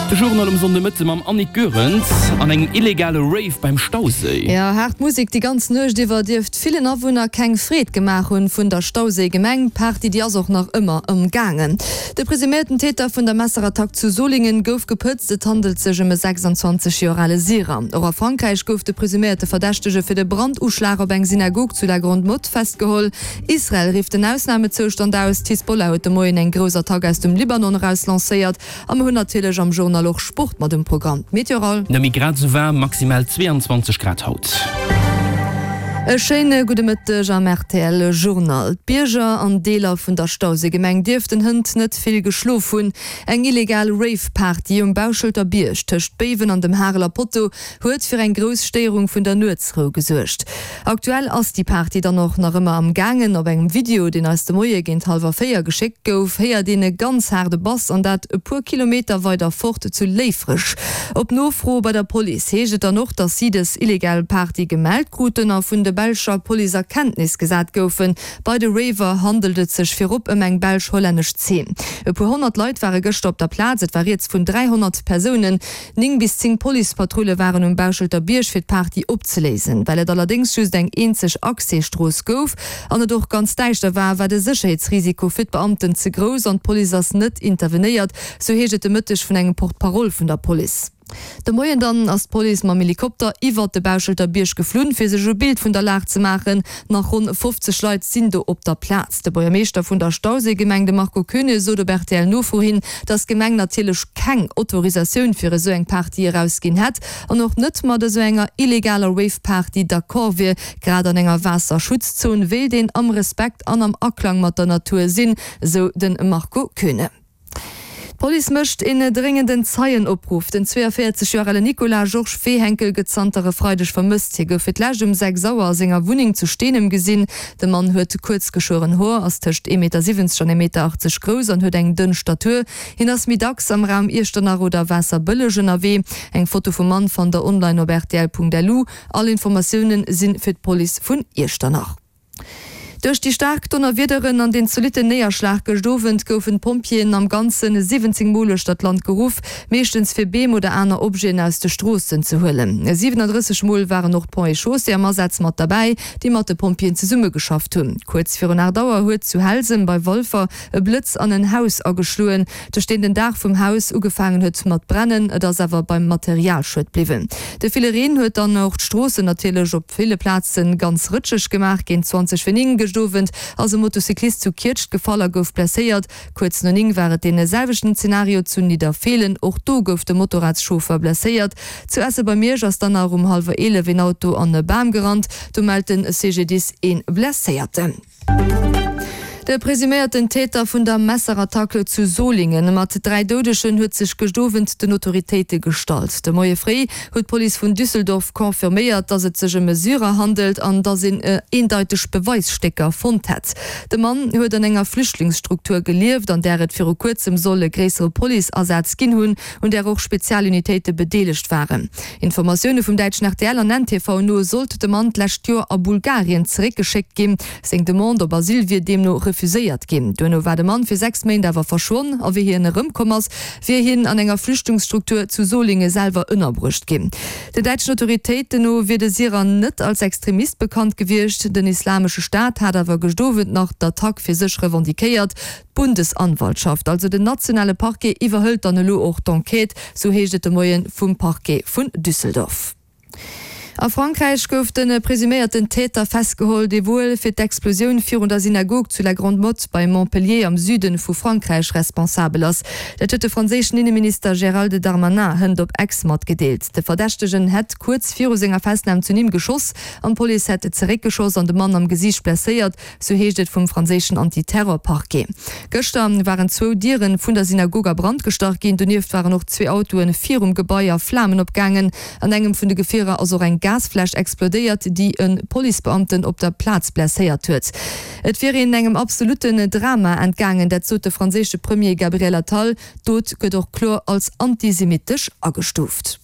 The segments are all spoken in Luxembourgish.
De Journal um Sonndemëtte mam Annick Goerens an engem illegale Rave beim Stauséi. Jo, haart Musek déi ganz Nuecht iwwer dierft villen Awunner keng Freed gemaach hunn vun der Stauséi-Gemeng. D'Party déi ass och nach ëmmer ëmgaangen. De presuméierten Täter vun der Messerattack zu Solingen gouf gepëtzt. Et handelt sech ëm e 26 Joer ale Syrer. Och a Frankräich gouf de presuméierte Verdächtege fir de Branduschlag op eng Synagog zu La Grande-Motte festgeholl. Israel rifft den Ausnamezoustand aus, d'Hisbollah huet de Moien eng grouss Attack aus dem Libanon eraus lancéiert a mer hunn natierlech am Journal och Sport mat um Programm. D'Meteoral. Nëmme grad esou waarm, maximal 22 Grad haut. E schéine gudde Mëtteg am rtl Journal. D'Bierger an Deeler vun der Stauséigemeng dierften hënt net vill geschlof hunn. Eng illegal Rave-Party um Bauschelter Bierg tëscht Béiwen an dem Hareler Potto huet fir eng grouss Stéierung vun der Nuetsrou gesuergt. Aktuell ass déi Party dann och nach ëmmer am gaangen. Op engem Video, deen eis de Moie géint hallwer 4 geschéckt gouf, héiert een e ganz haarde Bass an dat e puer Kilometer weider fort zu Léifreg. Op Nofro bei der Police heescht et dann och, datt si dës illegal Party gemellt kruten a vun de belscher Police a Kenntnis gesat goufen. Bei de Raver handelt et sech virop ëm eng belsch-hollännesch Zeen. E puer 100 Leit ware gëschter op der Plaz, et war rieds vun 300 Persounen. 9 bis 10 Policepatrulle waren um Bauschelter Bierg fir d'Party opzeléisen. Well et allerdéngs just eng eenzeg Accès-Strooss gouf an et och ganz däischter war, war de Sécherheetsrisiko fir d'Beamten ze grouss an d'Police ass net intervenéiert, sou heescht et de Mëtteg vun engem Porte-parole vun der Police. De Moien dann ass d'Police mam Helikopter iwwert de Bauschelter Bierg geflunn, fir sech e Bild vun der Lag ze maachen. Nach ronn 50 Leit sinn do op der Plaz. De Buergermeeschter vun der Stauséigemeng, de Marco Koeune, sot op RTL-Nofro hin, datt d'Gemeng natierlech keng Autorisatioun fir esou eng Party erausginn hätt an och net mat esou enger illegaler Rave-Party d'accord wier. Grad an enger Waasserschutzzon wéilt een am Respekt an am Aklang mat der Natur sinn, esou de Marco Koeune. D'Police mécht een dréngenden Zeienopruff. Den 42 Joer ale Nicolas Georges Wehenkel gëtt zanter e Freideg vermësst. Hie gouf fir d'lescht um 6 Auer a senger Wunneng zu Steenem gesinn. De Mann huet kuerz geschueren Hoer, ass tëscht ee Meter 70 an ee Meter 80 grouss an huet eng dënn Statur. Hien ass méi dacks am Raum Iechternach oder Waasserbëlleg ënnerwee. Eng Foto vum Mann fannt der online op rtl.lu. All Informatioune si fir d'Police vun Iechternach. Duerch déi staark Donnerwiederen an den zolitten Néierschlag gëscht Owend goufen d'Pompjeeën am Ganzen 17 Mol uechter d'Land geruff, meeschtens fir Beem oder aner Objeten aus de Stroossen ze huelen. 37 Mol waren och d'Ponts et Chaussées am Asaz mat derbäi, déi mat de Pompjeeën zesummegeschafft hunn. Kuerz virun 8 Auer huet zu Helsem bei Walfer e Blëtz an en Haus ageschloen, duerch deen den Daach vum Haus ugefaangen huet mat brennen. Et ass awer beim Materialschued bliwwen. De ville Reen huet dann och d'Stroossen natierlech op ville Plaze ganz rëtscheg gemaach. Géint 20 vir 9 gëscht Owend ass e Motocyclist zu Kietscht gefall a gouf blesséiert. Kuerz no 9 war et dee selwechten Zenario zu Nidderfeelen. Och do gouf de Motorradschauffer blesséiert. Zu Esse bei Miersch ass dann nach um hallwer 11 een Auto an e Bam gerannt. Do mellt de CGDIS ee Blesséierten. De presuméierten Täter vun der Messerattack zu Solingen mat 3 Doudegen huet sech gëscht Owend den Autoritéite gestallt. De Moie fréi huet d'Police vun Düsseldorf confirméiert, datt et sech ëm e Syrer handelt an datt een eendeiteg Beweisstécker fonnt hätt. De Mann huet an enger Flüchtlingsstruktur gelieft, an där et viru kuerzem soll e gréissere Policeasaz ginn hunn, un där och Spezialunitéite bedeelegt waren. Informatioune vum däitschen rtl an ntv no sollt de Mann d'lescht Joer a Bulgarien zeréckgeschéckt ginn. Seng Demande op Asyl wier deemno refuséiert ginn. Duerno war de Mann fir 6 Méint awer verschwonn a wéi hien erëmkomm ass, wier hien an enger Flüchtlingsstruktur zu Solingen selwer ënnerbruecht ginn. Den däitschen Autoritéiten no wier de Syrer net als Extremist bekannt gewiescht. Den Islamesche Staat hat awer gëscht Owend nach d'Attack fir sech revendiquéiert. D'Bundesanwaltschaft, also den nationale Parquet, iwwerhëlt dann elo och d'Enquête, sou heescht et de Moie vum Parquet vun Düsseldorf. A Frankräich gouf de presuméierten Täter festgeholl, dee wuel fir d'Explosioun virun der Synagog zu La Grande-Motte bei Montpellier am Süde vu Frankräich responsabel ass. Dat huet de franséischen Inneminister Gérald Darmanin hënt op Ex matgedeelt. De Verdächtegen hätt kuerz viru senger Festnam zu Nîmes geschoss an d'Police hätt zeréckgeschoss an de Mann am Gesiicht blesséiert. Sou heescht et vum franséischen Anti-Terror-Parquet. Gëschter waren zwou Diere vun der Synagog a Brand gestach ginn. Donieft waren och zwee Autoe virum Gebai a Flamen opgaangen. An engem vun de Gefierer ass och eng Gasfläsch explodéiert, déi e Policebeamten op der Plaz blesséiert huet. Et wier een engem absolutten Drama entgaangen, dat sot de franséische Premier Gabriel Attal. D'Dot gëtt och kloer als antisemittesch agestuuft.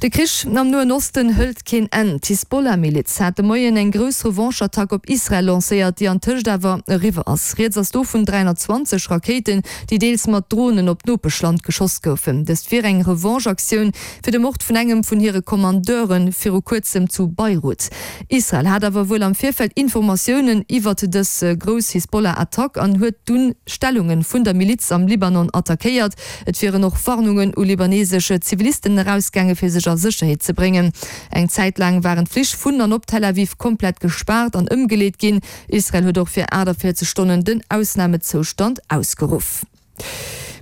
De Krich am Noen Osten hëlt keen Enn. D'Hisbollah-Miliz hat de Moien eng grouss Revanche-Attack op Israel lancéiert, déi antëscht awer eriwwer ass. Rieds ass do vun 320 Rakéiten, déi deels mat Dronen op d'Nopeschland geschoss goufen. Dëst wier eng Revanche-Aktioun fir de Mord vun engem vun hire Kommandeure viru kuerzem zu Beirut. Israel hat awer wuel am Virfeld Informatiounen iwwert dës grouss Hisbollah-Attack an huet dunn Stellunge vun der Miliz am Libanon attackéiert. Et wieren och Warnungen u libanesesch Zivilisten erausgaange fir sech a Sécherheet ze bréngen. Eng Zäit laang waren d'Flich vun an op Tel Aviv komplett gespaart an ëmgeleet ginn. Israel huet och fir 48 Stonnen den Ausnamezoustand ausgeruff.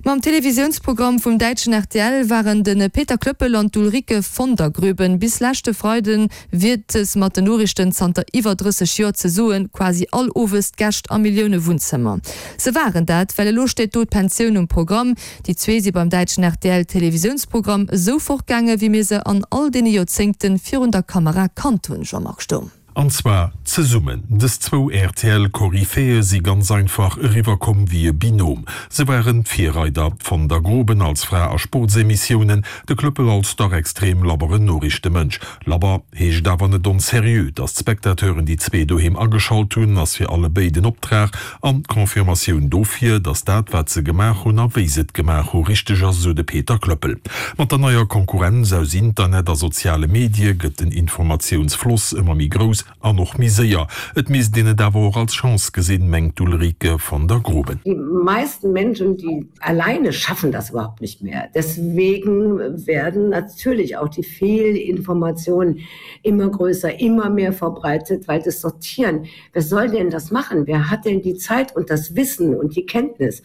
Mam Televisiounsprogramm vum däitschen rtl waren de Peter Klöppel an d'Ulrike von der Groeben bis leschte Freiden Wiertes mat den Noriichten zanter iwwer 30 Joer ze soen, quasi all Owes d'Gäscht am Millioune-Wunnzëmmer. Se waren dat, well elo steet do d'Pensioun um Programm. Déi zwee si beim däitschen RTL-Televisiounsprogramm esou fortgaange wéi mir se an all deene Joerzéngte virun der Kamera kannt hunn, Jean-Marc Sturm. An zwar zesummen. Dës zwou RTL-Koryphäe si ganz einfach eriwwer komm wéi e Binôme. Se waren d'Virreider, d'Von der Groben als Fra a Sportsemissiounen, de Klöppel als dach extrem labberen Noriichtemënsch. Labber heescht awer net onserieux. Datt d'Spectateuren déi zwee doheem ageschalt hunn, ass fir alle béid en Optrag an d'Confirmatioun dofir, datt dat wat se gemaach hunn a wéi se et gemaach hu richteg ass, esou de Peter Klöppel. Mat der neier Konkurrenz aus Internet a soziale Medie gëtt den Informatiounsfloss ëmmer méi grouss an och méi séier. Et misst een et awer och als Chance gesinn, mengt d'Ulrike von der Groben. Die meisten Menschen, die alleine schaffen das überhaupt nicht mehr. Deswegen werden natürlich auch die Fehlinformationen immer größer, immer mehr verbreitet, weil das Sortieren, wer soll denn das machen? Wer hat denn die Zeit und das Wissen und die Kenntnis?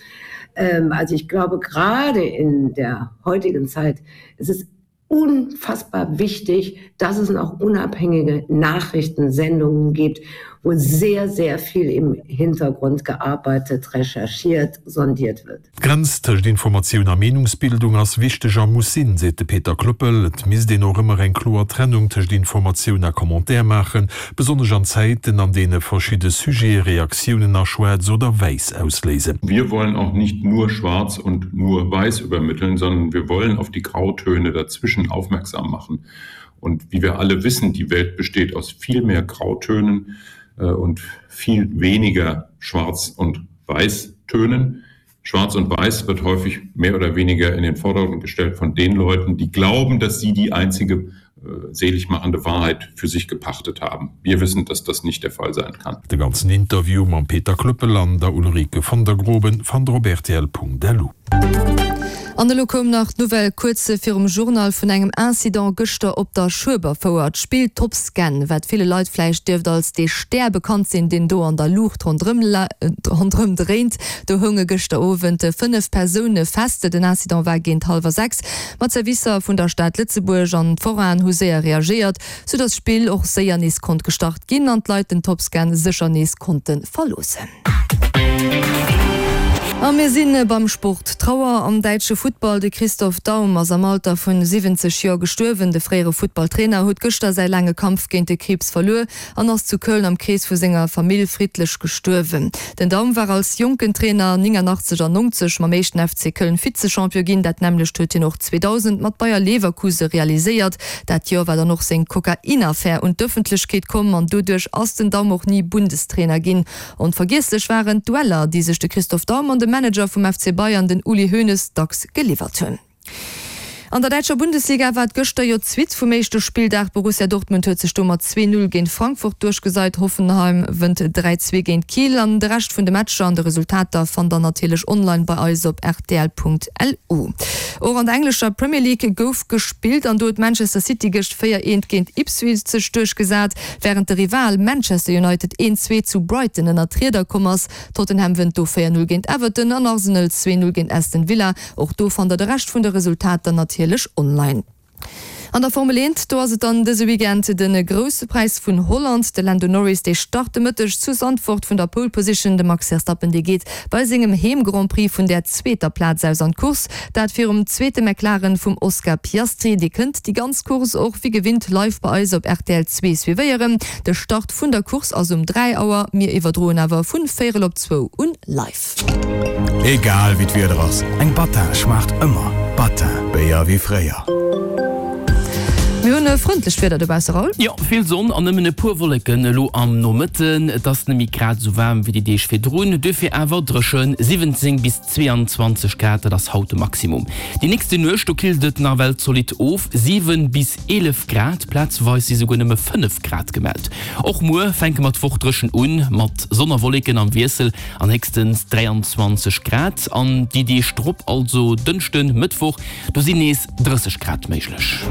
Ähm, also ich glaube, gerade in der heutigen Zeit ist es unfassbar wichtig, dass es noch unabhängige Nachrichtensendungen gibt, wo sehr, sehr viel im Hintergrund gearbeitet, recherchiert, sondiert wird. D'Grenz tëscht Informatioun a Meenungsbildung ass wichteg a muss sinn, seet de Peter Klöppel. Et misst een och ëmmer eng kloer Trennung tëscht Informatioun a Commentaire maachen, besonnesch an Zäiten, an deene verschidde Sujete Reaktiounen a Schwaarz oder Wäiss ausléisen. Wir wollen auch nicht nur schwarz und nur weiß übermitteln, sondern wir wollen auf die Grautöne dazwischen aufmerksam machen. Und wie wir alle wissen, die Welt besteht aus viel mehr Grautönen äh, und viel weniger Schwarz- und Weißtönen. Schwarz und Weiß wird häufig mehr oder weniger in den Vordergrund gestellt von den Leuten, die glauben, dass sie die einzige äh, seligmachende Wahrheit für sich gepachtet haben. Wir wissen, dass das nicht der Fall sein kann. De ganzen Interview mam Peter Klöppel an der Ulrike von der Groben fannt der op rtl.lu. An elo koum nach d'Nouvelle kuerz virum Journal vun engem Incident gëschter op der Schueberfouer. D'Spill Topscan, wat ville Leit vläicht dierft als dee Stär bekannt sinn, deen do an der Luucht ronderëm dréint, do hounge gëschter Owend 5 Persoune fest. Den Incident war géint hallwer 6. Ma d'Servicer vun der Stad Lëtzebuerg an d'Forainen hu séier reagéiert, sou datt d'Spill och séier nees konnt gestart ginn an d'Leit den Topscan sécher nees konnte verloossen. A mir si beim Sport. Trauer am däitsche Futtball, De Christoph Daum ass am Alter vun 70 Joer gestuerwen. De fréiere Futtballtrainer huet gëschter säi laange Kampf géint de Kriibs verluer an ass zu Köln am Krees vu senger Famill friddlech gestuerwen. Den Daum war als jonken Trainer 89 an 90 mam éischten FC Köln Vize-Champion ginn. Dat nämmlecht huet hien och 2000 mat Bayer Leverkuse realiséiert. Dat Joer war dann och seng Kokain-Affär un d'Ëffentlechkeet komm an doduerch ass den Daum och ni Bundestrainer ginn. Onvergiesslech waren d'Dueller, déi sech de Christoph Daum an de Manager vum FC Bayern, den Uli Hoeneß, dacks geliwwert hunn. An der däitscher Bundesliga war et gëschter jo d'Suite vum éischte Spilldag. Borussia Dortmund huet sech do mat 2, 0 géint Frankfurt duerchgeseit, Hoffenheim wënnt 3, 2 géint Kiel an de Rescht vun de Matcher an de Resultater fannt der natierlech online bei eis op rtl.lu. Och an der englescher Premier League gouf gespillt an do huet Manchester City gëscht 4, 1 géint Ipswich sech duerchgesat, wärend de Rival Manchester United 1, 2 zu Brighton ënnert d'Rieder komm ass. Tottenham wënnt do 4, 0 géint Everton an Arsenal 2, 0 géint Aston Villa. Och do fannt der de Rescht vun de Resultater natierlech online. An der Formel 1, do ass et dann dëse Weekend de Grousse Präis vun Holland. De Lando Norris, dee start de Mëtteg zu Zandvoort vun der Pole Position. De Max Verstappen, dee geet bei sengem Heem-Grand Prix vun der zweeter Plaz aus an d'Course. Dat virum zweete McLaren vum Oscar Piastri. Dir kënnt déi ganz Course och wéi gewinnt live bei eis op rtl 2 suivéieren. De Start vun der Course ass um 3 Auer, mir iwwerdroen awer vun véierel op zwou un live. Egal wéi d'Wieder ass, eng Battin schmaacht ëmmer. Battin, Béier wéi fréier. Mir hunn e frëndlecht Wieder dobausse, Raoul. Jo, vill Sonn an nëmmen e puer Wolleken elo am Nomëtten. Et ass net méi grad esou waarm wéi déi Deeg virdrun, duerfir awer dréchen, 17 bis 22 Grad, dat ass haut de Maximum. Déi nächste Nuecht, do killt et nawell zolidd of, 7 bis 11 Grad, plazeweis si souguer nëmme 5 Grad gemellt. Och muer fänke mer d'Woch dréchen un, mat Sonn a Wolleken am Wiessel an héchstens 23 Grad. An déi Deeg drop, also Dënschden, Mëttwoch, do sinn nees 30 Grad méiglech.